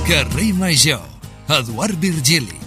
Carrer Major, Eduard Virgili.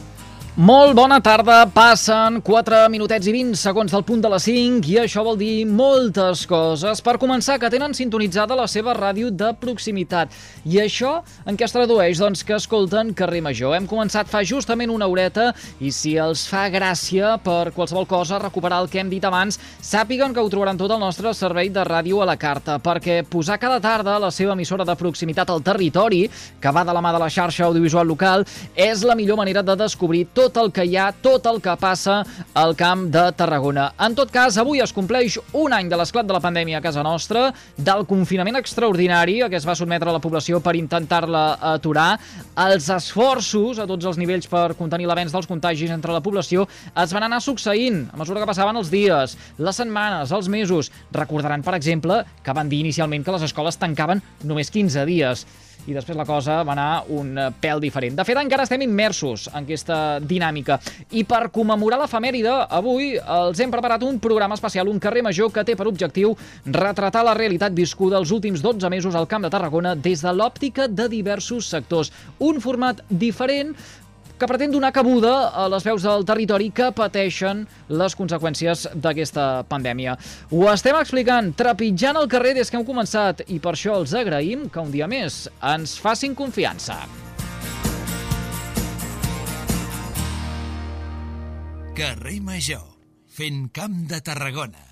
Molt bona tarda, passen 4 minutets i 20 segons del punt de les 5 i això vol dir moltes coses. Per començar, que tenen sintonitzada la seva ràdio de proximitat. I això en què es tradueix? Doncs que escolten Carrer Major. Hem començat fa justament una horeta i si els fa gràcia per qualsevol cosa recuperar el que hem dit abans, sàpiguen que ho trobaran tot al nostre servei de ràdio a la carta, perquè posar cada tarda la seva emissora de proximitat al territori, que va de la mà de la xarxa audiovisual local, és la millor manera de descobrir tot el que hi ha, tot el que passa al Camp de Tarragona. En tot cas, avui es compleix un any de l'esclat de la pandèmia a casa nostra, del confinament extraordinari a què es va sotmetre la població per intentar-la aturar, els esforços a tots els nivells per contenir l'avenç dels contagis entre la població es van anar succeint a mesura que passaven els dies, les setmanes, els mesos. Recordaran, per exemple, que van dir inicialment que les escoles tancaven només 15 dies. I després la cosa va anar un pèl diferent. De fet, encara estem immersos en aquesta dinàmica. I per commemorar l'efemèride, avui els hem preparat un programa especial, un Carrer Major, que té per objectiu retratar la realitat viscuda els últims 12 mesos al Camp de Tarragona des de l'òptica de diversos sectors. Un format diferent que pretén donar cabuda a les veus del territori que pateixen les conseqüències d'aquesta pandèmia. Ho estem explicant, trepitjant el carrer des que hem començat, i per això els agraïm que un dia més ens facin confiança. Carrer Major, fent Camp de Tarragona.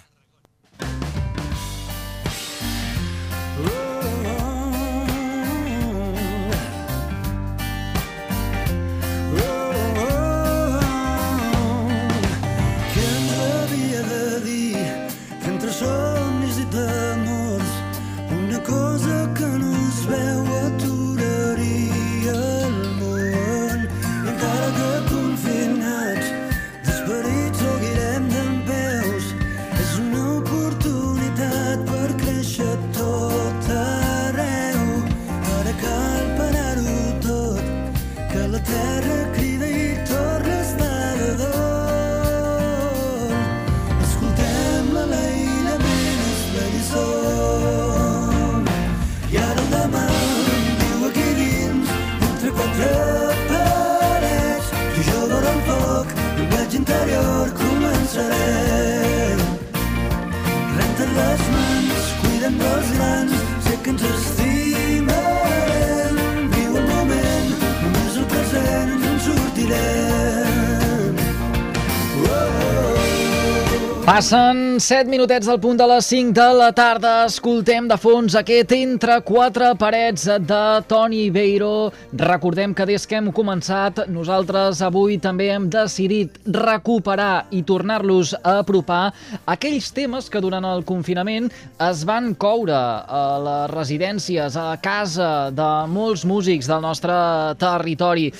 Passen 7 minutets del punt de les 5 de la tarda. Escoltem de fons aquest Entre quatre parets de Toni Beiro. Recordem que des que hem començat, nosaltres avui també hem decidit recuperar i tornar-los a apropar aquells temes que durant el confinament es van coure a les residències, a casa de molts músics del nostre territori.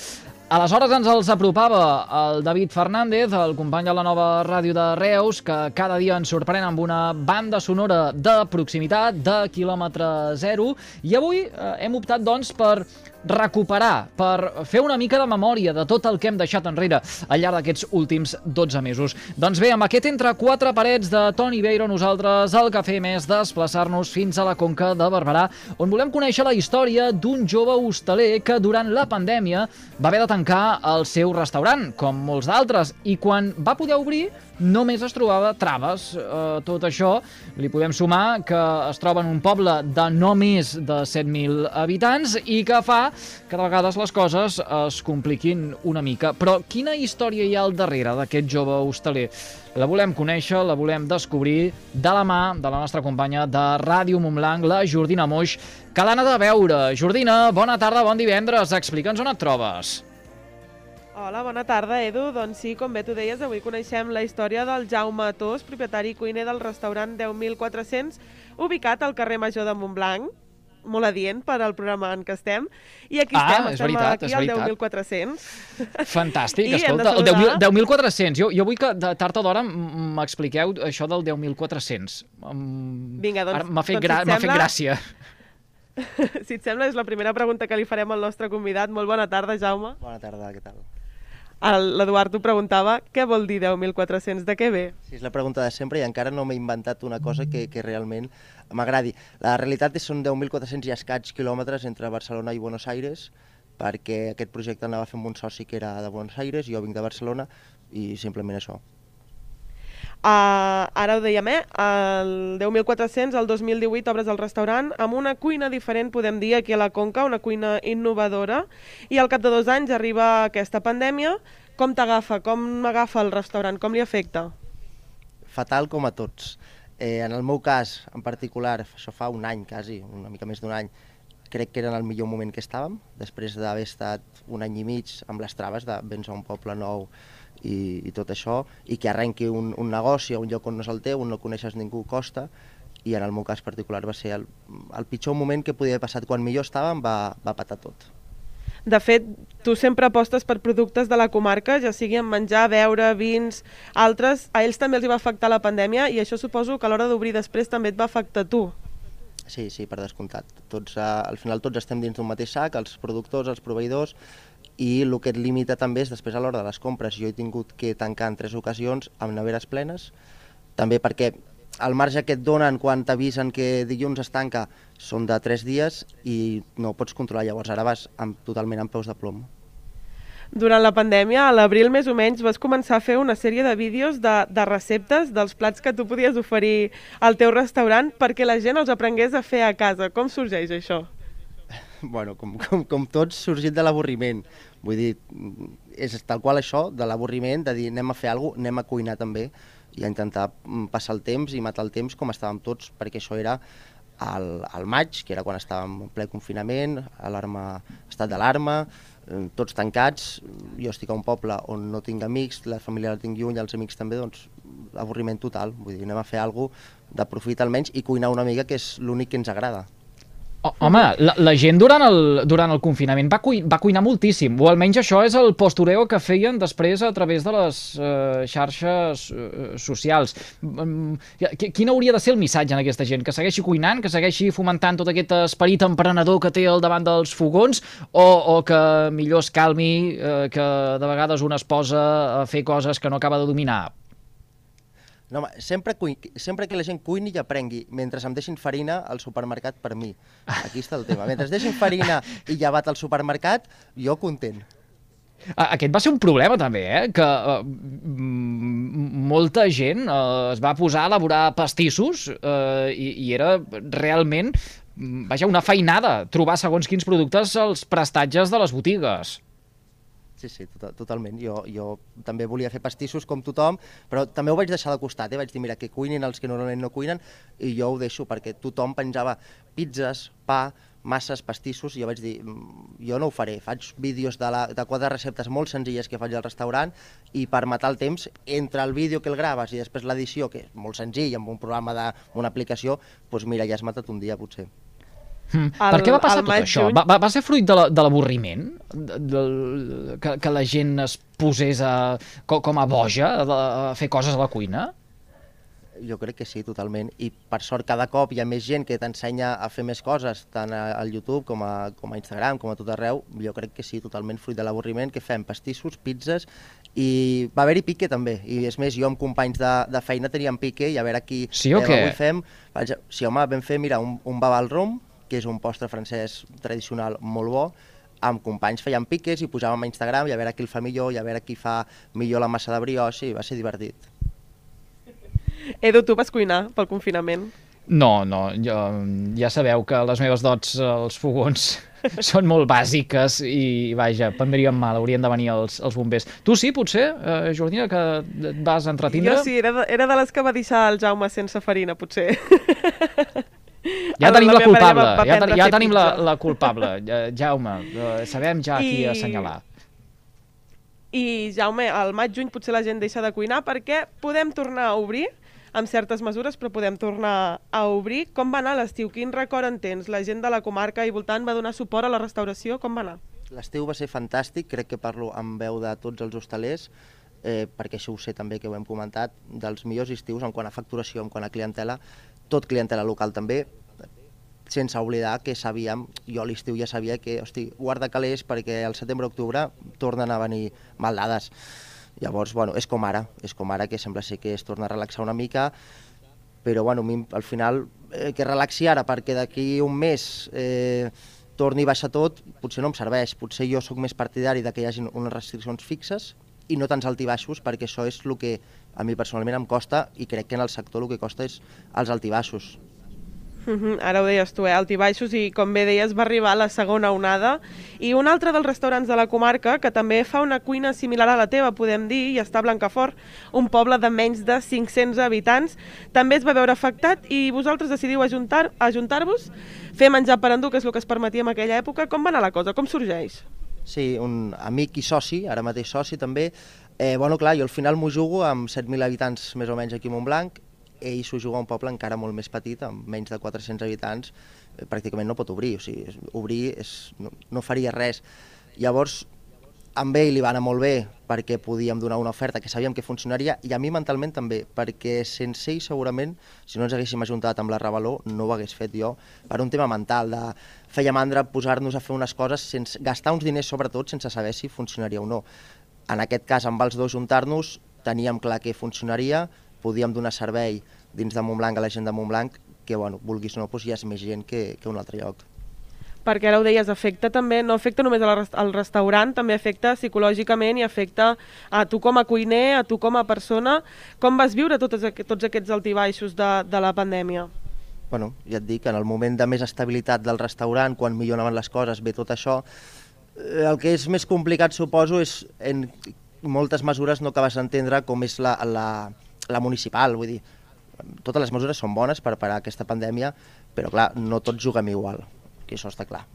Aleshores ens els apropava el David Fernández, el company de la nova ràdio de Reus, que cada dia ens sorprèn amb una banda sonora de proximitat, de quilòmetre zero, i avui hem optat, doncs, per recuperar, per fer una mica de memòria de tot el que hem deixat enrere al llarg d'aquests últims 12 mesos. Doncs bé, amb aquest Entre quatre parets de Toni Beiro, nosaltres el que fem és desplaçar-nos fins a la Conca de Barberà, on volem conèixer la història d'un jove hostaler que durant la pandèmia va haver de tancar el seu restaurant, com molts d'altres, i quan va poder obrir només es trobava traves. Tot això li podem sumar que es troba en un poble de no més de 7.000 habitants i que fa que de vegades les coses es compliquin una mica. Però quina història hi ha al darrere d'aquest jove hostaler? La volem conèixer, la volem descobrir de la mà de la nostra companya de Ràdio Montblanc, la Jordina Moix, que l'ha anat a veure. Jordina, bona tarda, bon divendres. Explica'ns on et trobes. Hola, bona tarda, Edu. Doncs sí, com bé tu deies, avui coneixem la història del Jaume Tos, propietari i cuiner del restaurant 10.400, ubicat al carrer Major de Montblanc. Molt adient per al programa en què estem. I aquí estem aquí al 10.400. Fantàstic, escolta, el 10.400. Jo vull que de tard o d'hora m'expliqueu això del 10.400. Vinga, doncs m'ha fet gràcia. Si et sembla, és la primera pregunta que li farem al nostre convidat. Molt bona tarda, Jaume. Bona tarda, què tal? L'Eduard t'ho preguntava, què vol dir 10.400? De què ve? Sí, és la pregunta de sempre i encara no m'he inventat una cosa que realment m'agradi. La realitat són 10.400 i escaig quilòmetres entre Barcelona i Buenos Aires, perquè aquest projecte anava a fer amb un soci que era de Buenos Aires, jo vinc de Barcelona, i simplement això. Ara ho dèiem, el 10.400, el 2018 obres el restaurant amb una cuina diferent, podem dir, aquí a la Conca, una cuina innovadora, i al cap de 2 anys arriba aquesta pandèmia. Com t'agafa? Com agafa el restaurant? Com li afecta? Fatal com a tots. En el meu cas, en particular, això fa un any quasi, una mica més d'un any, crec que era en el millor moment que estàvem, després d'haver estat un any i mig amb les traves de vens a un poble nou i tot això, i que arrenqui un negoci a un lloc on no és el teu, on no coneixes ningú, costa, i en el meu cas particular va ser el pitjor moment que podia haver passat. Quan millor estàvem va patar tot. De fet, tu sempre apostes per productes de la comarca, ja sigui en menjar, beure, vins, altres. A ells també els hi va afectar la pandèmia i això suposo que a l'hora d'obrir després també et va afectar a tu. Sí, per descomptat. Al final tots estem dins d'un mateix sac, els productors, els proveïdors, i el que et limita també és després a l'hora de les compres. Jo he tingut que tancar en 3 ocasions amb neveres plenes, també perquè el marge que et donen quan t'avisen que dilluns es tanca són de 3 dies i no ho pots controlar. Llavors ara vas totalment amb peus de plom. Durant la pandèmia, a l'abril més o menys, vas començar a fer una sèrie de vídeos de receptes dels plats que tu podies oferir al teu restaurant perquè la gent els aprengués a fer a casa. Com sorgeix això? Bueno, com tots, sorgit de l'avorriment. Vull dir, és tal qual això, de l'avorriment, de dir anem a fer alguna cosa, anem a cuinar també, i a intentar passar el temps i matar el temps com estàvem tots, perquè això era al maig, que era quan estàvem en ple confinament, estat d'alarma, tots tancats. Jo estic a un poble on no tinc amics, la família la tinc lluny, els amics també, doncs avorriment total. Vull dir, anem a fer alguna cosa de profit almenys i cuinar una mica, que és l'únic que ens agrada. Home, la gent durant el confinament va cuinar moltíssim, o almenys això és el postureo que feien després a través de les xarxes socials. Quin hauria de ser el missatge en aquesta gent? Que segueixi cuinant, que segueixi fomentant tot aquest esperit emprenedor que té al davant dels fogons, o que millor es calmi, que de vegades un es posa a fer coses que no acaba de dominar? No, home, sempre que la gent cuini i aprengui, mentre em deixin farina al supermercat, per mi. Aquí està el tema. Mentre deixin farina i llevat al supermercat, jo content. Aquest va ser un problema també, que molta gent es va posar a elaborar pastissos i era realment, una feinada trobar segons quins productes als prestatges de les botigues. Sí, totalment. Jo també volia fer pastissos com tothom, però també ho vaig deixar de costat. Vaig dir, mira, que cuinin els que normalment no cuinen, i jo ho deixo perquè tothom penjava pizzas, pa, masses, pastissos, i jo vaig dir, jo no ho faré. Faig vídeos de 4 receptes molt senzilles que faig al restaurant, i per matar el temps, entre el vídeo que el graves i després l'edició, que és molt senzill, amb un programa d'una aplicació, doncs mira, ja has matat un dia, potser. Per què va passar tot això? Va ser fruit de l'avorriment? Que la gent es posés com a boja a fer coses a la cuina? Jo crec que sí, totalment. I per sort cada cop hi ha més gent que t'ensenya a fer més coses, tant al YouTube com a Instagram, com a tot arreu. Jo crec que sí, totalment fruit de l'avorriment, que fem pastissos, pizzas, i va haver-hi pique també. I és més, jo amb companys de feina teníem pique, i a veure qui... Sí o què? Avui fem... Sí, home, vam fer, mira, un baba al rom, que és un postre francès tradicional molt bo. Amb companys fèiem piques i posàvem a Instagram, i a veure qui el fa millor, i a veure qui fa millor la massa de brioche, i va ser divertit. Edu, tu vas cuinar pel confinament? No, ja sabeu que les meves dots als fogons són molt bàsiques i, vaja, prendríem mal, haurien de venir els bombers. Tu sí, potser, Jordina, que et vas entretindre? Jo sí, era de les que va deixar el Jaume sense farina, potser. Ja tenim la culpable, ja tenim la culpable, Jaume, sabem ja qui assenyalar. I Jaume, al maig-juny potser la gent deixa de cuinar perquè podem tornar a obrir, amb certes mesures, però podem tornar a obrir. Com va anar l'estiu? Quin record en tens? La gent de la comarca i voltant va donar suport a la restauració? Com va anar? L'estiu va ser fantàstic, crec que parlo amb veu de tots els hostalers, perquè això ho sé també, que ho hem comentat, dels millors estius en quant a facturació, en quant a clientela, tot clientela local també, sense oblidar que sabíem, jo a l'estiu ja sabia que, hosti, guarda calés perquè al setembre-octubre tornen a venir maldades. Llavors, bueno, és com ara, que sembla ser que es torna a relaxar una mica, però bueno, al final que relaxi ara perquè d'aquí un mes torni a baixar tot, potser no em serveix. Potser jo sóc més partidari de que hi hagi unes restriccions fixes i no tants altibaixos, perquè això és el que a mi personalment em costa, i crec que en el sector el que costa és els altibaixos. Ara ho deies tu, altibaixos, i com bé deies va arribar la segona onada, i un altre dels restaurants de la comarca que també fa una cuina similar a la teva, podem dir, i està a Blancafort, un poble de menys de 500 habitants, també es va veure afectat i vosaltres decidiu ajuntar-vos, fer menjar per endur, que és el que es permetia en aquella època. Com va anar la cosa? Com sorgeix? Sí, un amic i soci, ara mateix soci també. Bueno, clar, jo al final m'ho jugo amb 7.000 habitants més o menys aquí a Montblanc. Ell s'ho juga a un poble encara molt més petit, amb menys de 400 habitants, pràcticament no pot obrir, o sigui, obrir no faria res. Llavors, amb ell li va anar molt bé perquè podíem donar una oferta que sabíem que funcionaria, i a mi mentalment també, perquè sense ell segurament, si no ens haguéssim ajuntat amb la Revaló, no ho hagués fet jo, per un tema mental, de feia mandra posar-nos a fer unes coses sense gastar uns diners, sobretot sense saber si funcionaria o no. En aquest cas, amb els dos juntar-nos, teníem clar que funcionaria, podíem donar servei dins de Montblanc a la gent de Montblanc, que, bueno, vulguis o no, doncs hi ha més gent que un altre lloc. Perquè ara ho deies, afecta també, no afecta només al restaurant, també afecta psicològicament i afecta a tu com a cuiner, a tu com a persona. Com vas viure tots aquests altibaixos de la pandèmia? Bueno, ja et dic, en el moment de més estabilitat del restaurant, quan millor anaven les coses, ve tot això, el que és més complicat, suposo, és en moltes mesures no acabes d'entendre com és la municipal, vull dir, totes les mesures són bones per parar aquesta pandèmia, però clar, no tots juguem igual, que això està clar.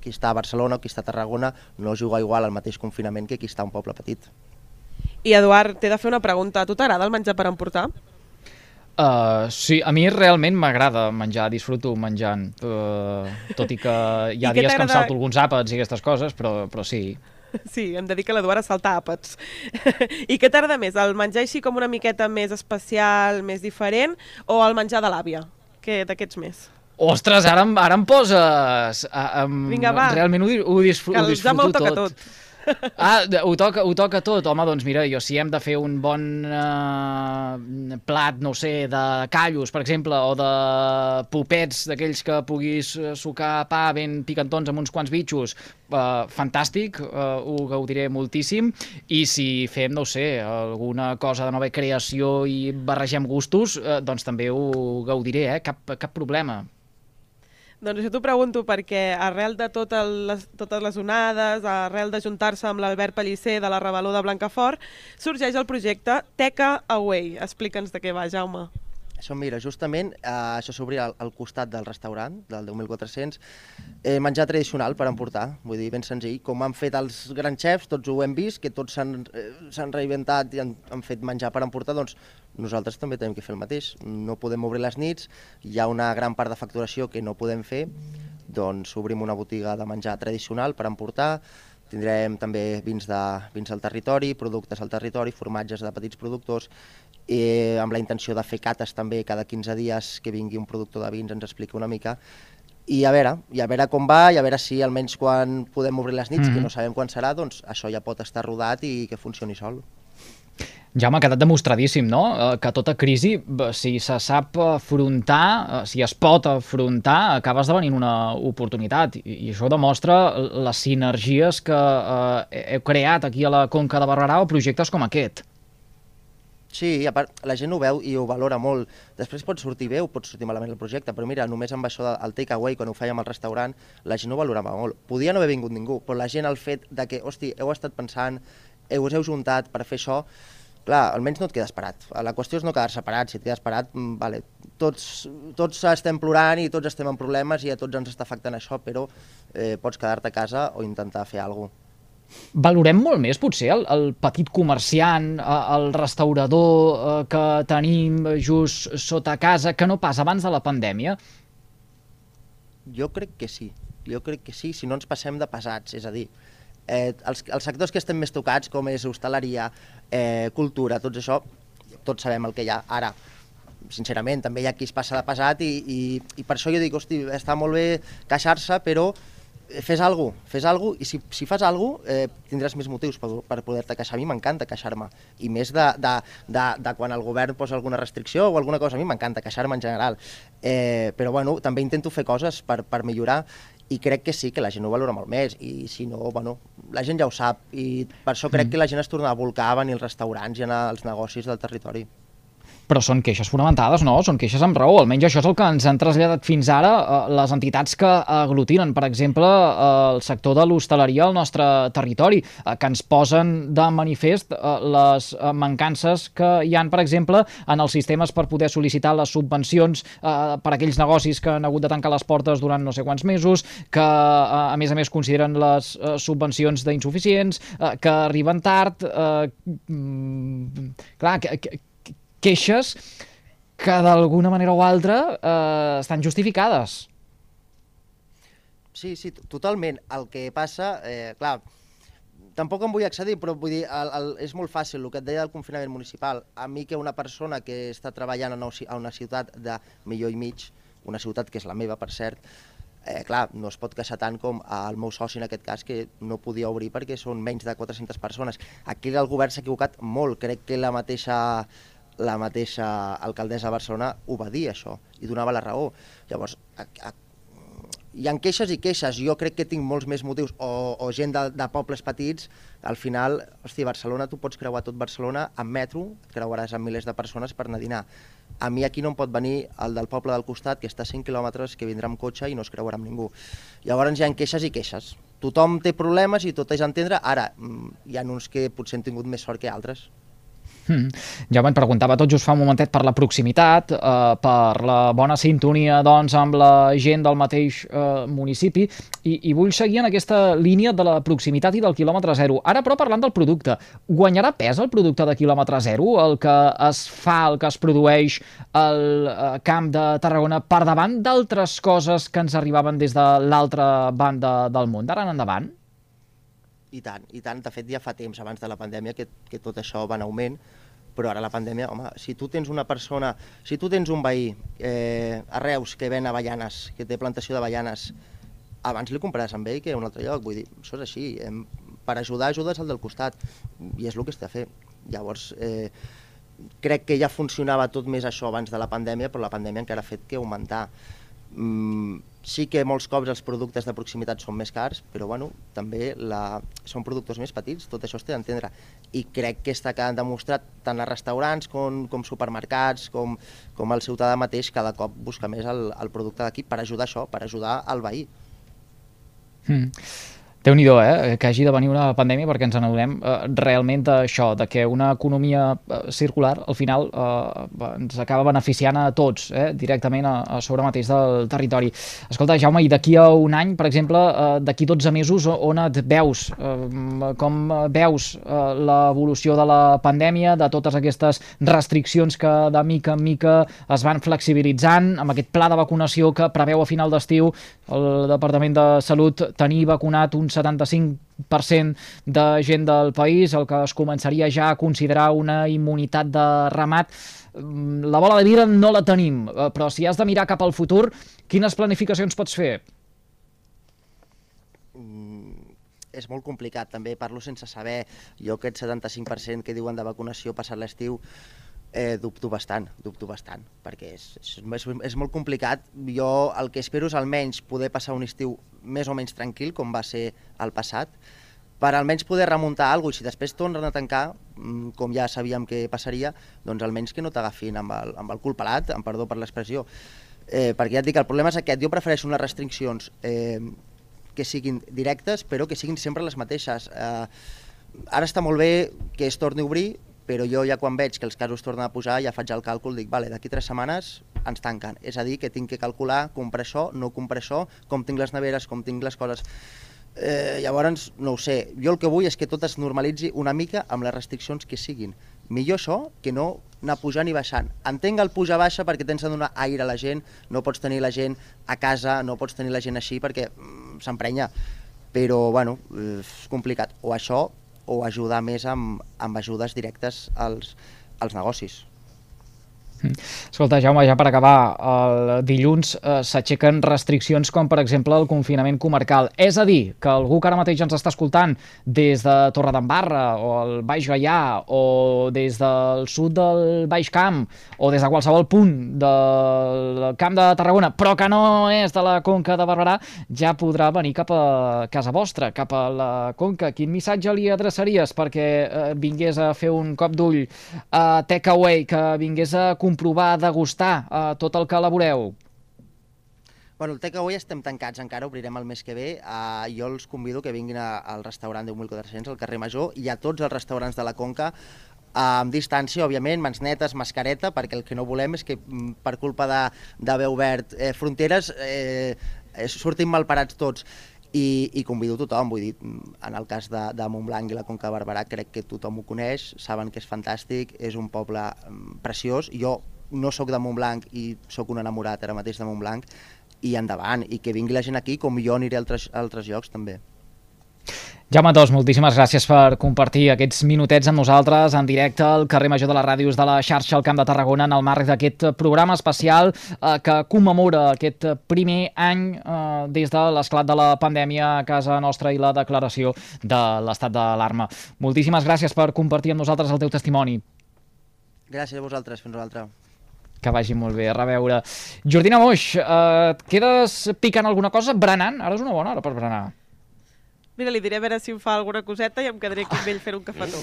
Qui està a Barcelona o qui està a Tarragona no juga igual al mateix confinament que qui està a un poble petit. I Eduard, t'he de fer una pregunta, a tu t'agrada el menjar per emportar? Sí, a mi realment m'agrada menjar, disfruto menjant, tot i que hi ha dies que em salto alguns àpats i aquestes coses, però sí. Sí, hem de dir que l'Eduard salta àpats. I què t'agrada més, el menjar així com una miqueta més especial, més diferent, o el menjar de l'àvia? Què d'aquests més? Ostres, ara em poses... Vinga, va, realment ho disfruto tot. Que el Jaume ho toca tot. Ho toca tot. Home, doncs mira, jo si hem de fer un bon plat, no sé, de callos, per exemple, o de popets, d'aquells que puguis sucar pa ben picantons amb uns quants bitxos, fantàstic, ho gaudiré moltíssim. I si fem, no sé, alguna cosa de nova creació i barregem gustos, doncs també ho gaudiré, cap problema. Doncs jo t'ho pregunto perquè arrel de totes les onades, arrel d'ajuntar-se amb l'Albert Pellicer de la Revaló de Blancafort, sorgeix el projecte Teca Away. Explica'ns de què va, Jaume. Això, mira, justament això s'obria al costat del restaurant, del 10.400, menjar tradicional per emportar, vull dir, ben senzill. Com han fet els grans xefs, tots ho hem vist, que tots s'han reinventat i han fet menjar per emportar, doncs nosaltres també tenim que fer el mateix. No podem obrir les nits, hi ha una gran part de facturació que no podem fer, doncs obrim una botiga de menjar tradicional per emportar. Tindrem també vins del territori, productes al territori, formatges de petits productors, amb la intenció de fer cates també cada 15 dies, que vingui un productor de vins, ens expliqui una mica, i a veure com va, i a veure si almenys quan podem obrir les nits, que no sabem quan serà, doncs això ja pot estar rodat i que funcioni sol. Ja m'ha quedat demostradíssim, no?, que tota crisi, si se sap afrontar, si es pot afrontar, acaba esdevenint una oportunitat, i això demostra les sinergies que heu creat aquí a la Conca de Barberà o projectes com aquest. Sí, a part, la gent ho veu i ho valora molt. Després pot sortir bé o pot sortir malament el projecte, però mira, només amb això del takeaway, quan ho fèiem al restaurant, la gent ho valorava molt. Podia no haver vingut ningú, però la gent, el fet de que, hosti, heu estat pensant, us heu juntat per fer això, clar, almenys no et quedes parat. La qüestió és no quedar-se parat. Si et quedes parat, vale, tots estem plorant i tots estem en problemes i a tots ens està afectant això, però pots quedar-te a casa o intentar fer alguna cosa. Valorem molt més, potser, el petit comerciant, el restaurador que tenim just sota casa, que no pas abans de la pandèmia? Jo crec que sí, si no ens passem de pesats, és a dir, els sectors que estem més tocats, com és hostaleria, cultura, tot això, tots sabem el que hi ha. Ara, sincerament, també hi ha qui es passa de pesat i per això jo dic, hosti, està molt bé queixar-se, però fes alguna cosa, i si fas alguna cosa tindràs més motius per poder-te queixar. A mi m'encanta queixar-me, i més de quan el govern posa alguna restricció o alguna cosa. A mi m'encanta queixar-me en general, però bueno, també intento fer coses per millorar, i crec que sí, que la gent ho valora molt més, i si no, bueno, la gent ja ho sap, i per això crec que la gent es torna a volcar a venir als restaurants i anar als negocis del territori. Però són queixes fonamentades, no? Són queixes amb raó. Almenys això és el que ens han traslladat fins ara les entitats que aglutinen, per exemple, el sector de l'hostaleria al nostre territori, que ens posen de manifest les mancances que hi han, per exemple, en els sistemes per poder sol·licitar les subvencions per a aquells negocis que han hagut de tancar les portes durant no sé quants mesos, que, a més, consideren les subvencions d'insuficients, que arriben tard... Clar, queixes que d'alguna manera o altra estan justificades. Sí, totalment. El que passa, clar, tampoc em vull accedir, però vull dir, és molt fàcil, el que et deia del confinament municipal. A mi que una persona que està treballant a una ciutat de 1,5 milions, una ciutat que és la meva, per cert, clar, no es pot queixar tant com el meu soci en aquest cas, que no podia obrir perquè són menys de 400 persones. Aquí el govern s'ha equivocat molt, crec que la mateixa alcaldessa de Barcelona ho va dir, això, i donava la raó. Llavors, hi ha queixes i queixes. Jo crec que tinc molts més motius, o gent de pobles petits. Al final, hòstia, Barcelona, tu pots creuar tot Barcelona amb metro, et creuaràs amb milers de persones per anar a dinar. A mi aquí no em pot venir el del poble del costat, que està a 5 quilòmetres, que vindrà amb cotxe i no es creuarà amb ningú. Llavors hi ha queixes i queixes. Tothom té problemes i tot és entendre. Ara, hi ha uns que potser han tingut més sort que altres. Ja me'n preguntava tot just fa un momentet per la proximitat, per la bona sintonia doncs, amb la gent del mateix municipi, i vull seguir en aquesta línia de la proximitat i del quilòmetre zero. Ara, però, parlant del producte, guanyarà pes el producte de quilòmetre zero, el que es fa, el que es produeix al Camp de Tarragona, per davant d'altres coses que ens arribaven des de l'altra banda del món, d'ara en endavant? I tant. De fet, ja fa temps, abans de la pandèmia, que tot això va en augment, però ara la pandèmia, home, si tu tens un veí a Reus que ven avellanes, que té plantació d'avellanes, abans li compraràs amb ell que a un altre lloc. Vull dir, això és així. Per ajudar, ajudes al del costat, i és el que està a fer. Llavors, crec que ja funcionava tot més això abans de la pandèmia, però la pandèmia encara ha fet que augmentar. Sí que molts cops els productes de proximitat són més cars, però bueno, també són productors més petits, tot això es té d'entendre. I crec que està quedant demostrat tant a restaurants com supermercats, com el ciutadà mateix, cada cop busca més el producte d'aquí per ajudar això, per ajudar el veí. Déu-n'hi-do, que hagi de venir una pandèmia perquè ens n'adonem realment d'això, de que una economia circular al final ens acaba beneficiant a tots, directament a sobre mateix del territori. Escolta, Jaume, i d'aquí a un any, per exemple, d'aquí 12 mesos, on et veus? Com veus l'evolució de la pandèmia, de totes aquestes restriccions que de mica en mica es van flexibilitzant, amb aquest pla de vacunació que preveu a final d'estiu el Departament de Salut tenir vacunat un 75% de gent del país, el que es començaria ja a considerar una immunitat de ramat. La bola de vidre no la tenim, però si has de mirar cap al futur, quines planificacions pots fer? És molt complicat, també parlo sense saber. Jo aquest 75% que diuen de vacunació passat l'estiu, dubto bastant, perquè és molt complicat. Jo el que espero és almenys poder passar un estiu més o menys tranquil, com va ser el passat, per almenys poder remuntar alguna cosa, i si després tornen a tancar, com ja sabíem que passaria, doncs almenys que no t'agafin amb el cul pelat, amb perdó per l'expressió, perquè ja et dic, el problema és aquest. Jo prefereixo unes restriccions que siguin directes, però que siguin sempre les mateixes. Ara està molt bé que es torni a obrir, però jo ja quan veig que els casos tornen a pujar ja faig el càlcul, dic, vale, d'aquí 3 setmanes ens tanquen. És a dir, que tinc que calcular, comprar això, no comprar això, com tinc les neveres, com tinc les coses. Llavors, no ho sé, jo el que vull és que tot es normalitzi una mica amb les restriccions que siguin. Millor això que no anar pujant i baixant. Entenc el puja-baixa perquè tens de donar aire a la gent, no pots tenir la gent a casa, no pots tenir la gent així perquè s'emprenya. Però, bueno, és complicat. O això, o ajudar més amb ajudes directes als negocis. Escolta, Jaume, ja per acabar, el dilluns s'aixequen restriccions com, per exemple, el confinament comarcal. És a dir, que algú que ara mateix ens està escoltant des de Torredembarra o el Baix Gaià o des del sud del Baix Camp o des de qualsevol punt del Camp de Tarragona, però que no és de la Conca de Barberà, ja podrà venir cap a casa vostra, cap a la Conca. Quin missatge li adreçaries perquè vingués a fer un cop d'ull a Takeaway, que vingués a comprovar, a degustar tot el que elaboreu? Bueno, el Takeaway estem tancats encara, obrirem el mes que ve. Jo els convido que vinguin al restaurant 10.400, al carrer Major, i a tots els restaurants de la Conca, amb distància, òbviament, mans netes, mascareta, perquè el que no volem és que per culpa d'haver obert fronteres surtin malparats tots. I convido tothom, vull dir, en el cas de Montblanc i la Conca de Barberà crec que tothom ho coneix, saben que és fantàstic, és un poble preciós. Jo no sóc de Montblanc i sóc un enamorat ara mateix de Montblanc, i endavant, i que vingui la gent aquí, com jo aniré a altres llocs també. Jaume Tos, moltíssimes gràcies per compartir aquests minutets amb nosaltres en directe al carrer Major de les Ràdios de la xarxa al Camp de Tarragona en el marc d'aquest programa especial que commemora aquest primer any des de l'esclat de la pandèmia a casa nostra i la declaració de l'estat d'alarma. Moltíssimes gràcies per compartir amb nosaltres el teu testimoni. Gràcies a vosaltres, fins una altra. Que vagi molt bé, a reveure. Jordina Moix, et quedes picant alguna cosa? Berenant? Ara és una bona hora per berenar. Mira, li diré a veure si em fa alguna coseta i em quedaré aquí amb ell fent un cafetó.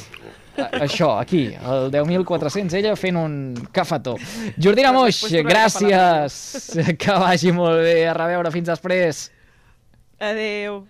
Això, aquí, el 10.400, ella fent un cafetó. Jordina Moix, gràcies. Que vagi molt bé, a reveure, fins després. Adéu.